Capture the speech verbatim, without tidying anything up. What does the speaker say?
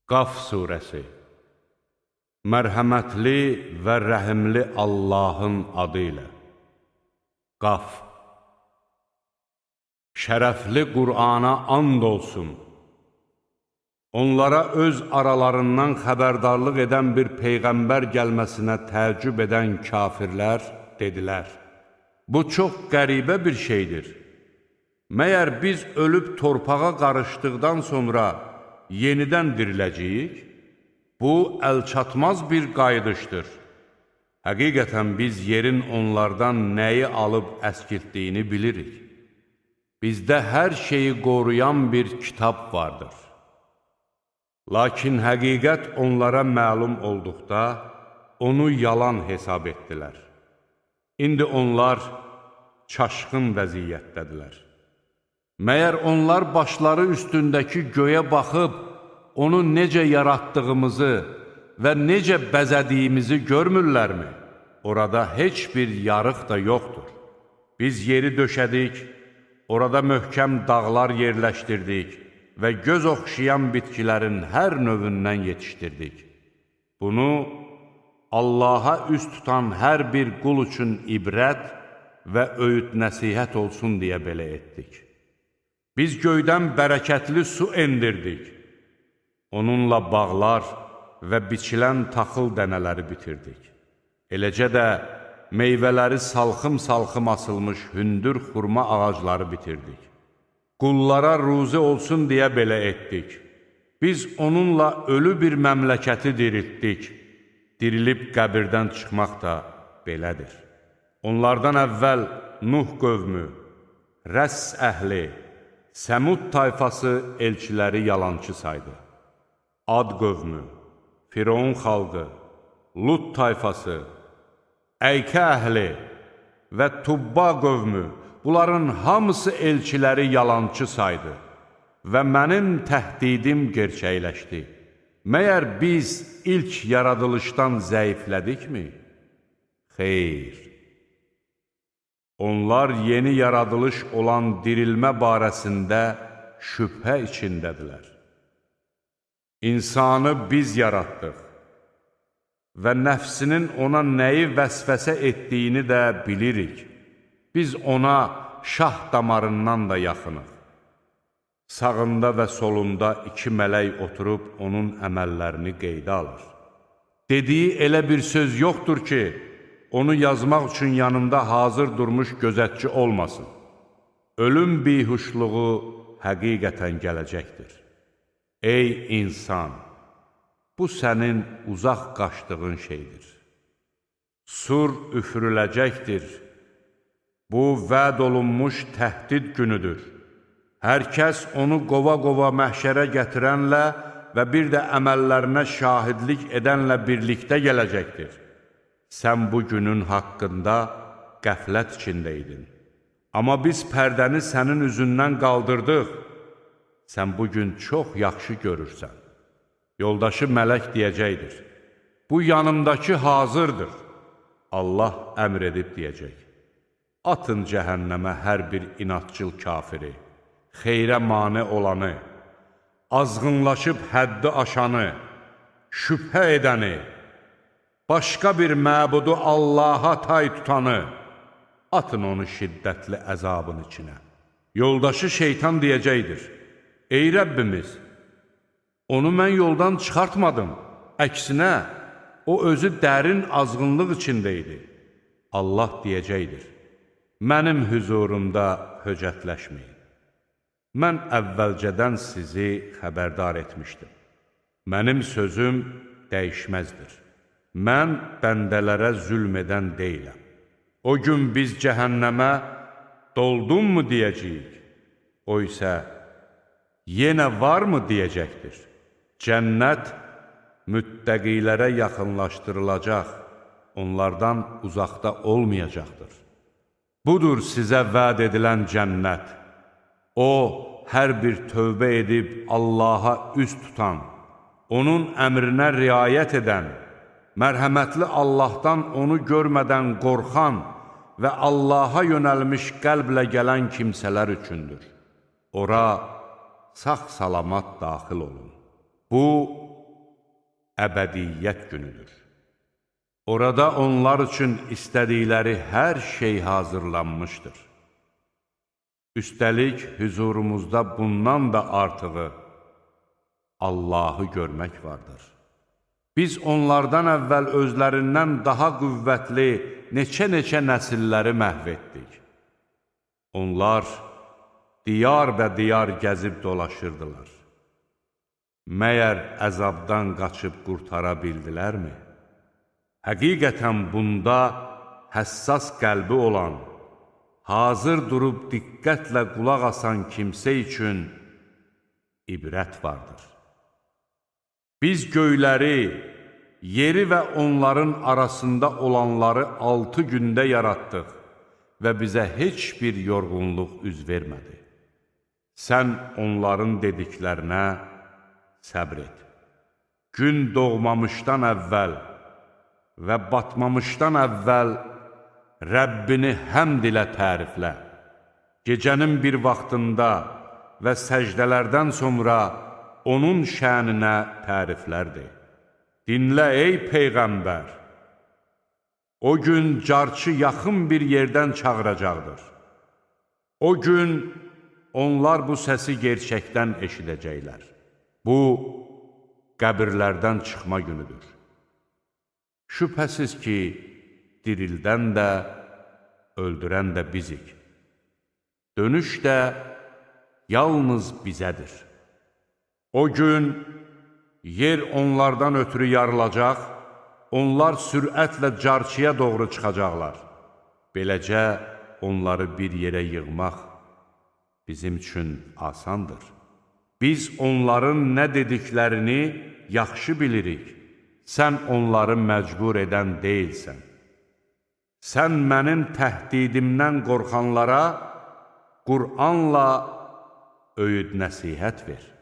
Qaf surəsi. Mərhəmətli və rəhimli Allahın adı ilə. Qaf. Şərəfli Qur'ana and olsun. Onlara öz aralarından xəbərdarlıq edən bir peyğəmbər gəlməsinə təəccüb edən kafirlər dedilər: bu çox qəribə bir şeydir. Məyər biz ölüb torpağa qarışdıqdan sonra yenidən diriləcəyik? Bu, əlçatmaz bir qayıdışdır. Həqiqətən biz yerin onlardan nəyi alıb əskiltdiyini bilirik. Bizdə hər şeyi qoruyan bir kitab vardır. Lakin həqiqət onlara məlum olduqda, onu yalan hesab etdilər. İndi onlar çaşqın vəziyyətdədirlər. Məyər onlar başları üstündəki göyə baxıb, onu necə yaratdığımızı və necə bəzədiyimizi görmürlərmi? Orada heç bir yarıq da yoxdur. Biz yeri döşədik, orada möhkəm dağlar yerləşdirdik və göz oxşayan bitkilərin hər növündən yetişdirdik. Bunu Allaha üst tutan hər bir qul üçün ibrət və öyüd nəsihət olsun deyə belə etdik. Biz göydən bərəkətli su endirdik. Onunla bağlar və biçilən taxıl dənələri bitirdik. Eləcə də meyvələri salxım-salxım asılmış hündür xurma ağacları bitirdik. Qullara ruzi olsun deyə belə etdik. Biz onunla ölü bir məmləkəti diriltdik. Dirilib qəbirdən çıxmaq da belədir. Onlardan əvvəl Nuh qövmü, Rəss əhli, Səmud tayfası elçiləri yalançı saydı. Ad qövmü, Firon xalqı, Lut tayfası, Əykə əhli və Tubba qövmü, bunların hamısı elçiləri yalançı saydı və mənim təhdidim gerçəkləşdi. Məyər biz ilk yaradılışdan zəiflədikmi? Xeyr. Onlar yeni yaradılış olan dirilmə barəsində şübhə içindədirlər. İnsanı biz yaratdıq və nəfsinin ona nəyi vəsvəsə etdiyini də bilirik. Biz ona şah damarından da yaxınıq. Sağında və solunda iki mələk oturub onun əməllərini qeydə alır. Dediyi elə bir söz yoxdur ki, onu yazmaq üçün yanında hazır durmuş gözətçi olmasın. Ölüm bihuşluğu həqiqətən gələcəkdir. Ey insan! Bu sənin uzaq qaçdığın şeydir. Sur üfürüləcəkdir. Bu, vəd olunmuş təhdid günüdür. Hər kəs onu qova-qova məhşərə gətirənlə və bir də əməllərinə şahidlik edənlə birlikdə gələcəkdir. Sən bu günün haqqında qəflət içindəydin. Amma biz pərdəni sənin üzündən qaldırdıq. Sən bugün çox yaxşı görürsən. Yoldaşı mələk deyəcəkdir: bu yanımdakı hazırdır. Allah əmr edib deyəcək: atın cəhənnəmə hər bir inatçıl kafiri, xeyrə mane olanı, azğınlaşıb həddi aşanı, şübhə edəni, başqa bir məbudu Allaha tay tutanı, atın onu şiddətli əzabın içinə. Yoldaşı şeytan deyəcəkdir: ey Rəbbimiz, onu mən yoldan çıxartmadım. Əksinə, o özü dərin azğınlıq içində idi. Allah deyəcəkdir: mənim hüzurumda höcətləşməyin. Mən əvvəlcədən sizi xəbərdar etmişdim. Mənim sözüm dəyişməzdir. Mən bəndələrə zülm edən deyiləm. O gün biz cəhənnəmə doldunmu deyəcəyik. O isə yenə varmı deyəcəkdir. Cənnət müttəqilərə yaxınlaşdırılacaq, onlardan uzaqda olmayacaqdır. Budur sizə vəd edilən cənnət. O, hər bir tövbə edib Allaha üst tutan, onun əmrinə riayət edən, mərhəmətli Allahdan onu görmədən qorxan və Allaha yönəlmiş qəlblə gələn kimsələr üçündür. Ora sağ-salamat daxil olun. Bu, əbədiyyət günüdür. Orada onlar üçün istədikləri hər şey hazırlanmışdır. Üstəlik, hüzurumuzda bundan da artığı Allahı görmək vardır. Biz onlardan əvvəl özlərindən daha qüvvətli neçə-neçə nəsilləri məhv etdik. Onlar diyar və diyar gəzib dolaşırdılar. Məyər əzabdan qaçıb qurtara bildilərmi? Həqiqətən bunda həssas qəlbi olan, hazır durub diqqətlə qulaq asan kimsə üçün ibrət vardır. Biz göyləri, yeri və onların arasında olanları altı gündə yaratdıq və bizə heç bir yorğunluq üz vermədi. Sən onların dediklərinə səbr et. Gün doğmamışdan əvvəl və batmamışdan əvvəl Rəbbini həmd ilə təriflə. Gecənin bir vaxtında və səcdələrdən sonra onun şəninə təriflərdir. Dinlə ey Peyğəmbər! O gün carçı yaxın bir yerdən çağıracaqdır. O gün onlar bu səsi gerçəkdən eşidəcəklər. Bu, qəbirlərdən çıxma günüdür. Şübhəsiz ki, dirildən də, öldürən də bizik. Dönüş də yalnız bizədir. O gün yer onlardan ötürü yarılacaq, onlar sürətlə carçıya doğru çıxacaqlar. Beləcə onları bir yerə yığmaq bizim üçün asandır. Biz onların nə dediklərini yaxşı bilirik. Sən onları məcbur edən deyilsən. Sən mənim təhdidimdən qorxanlara Qur'anla öyüd nəsihət ver.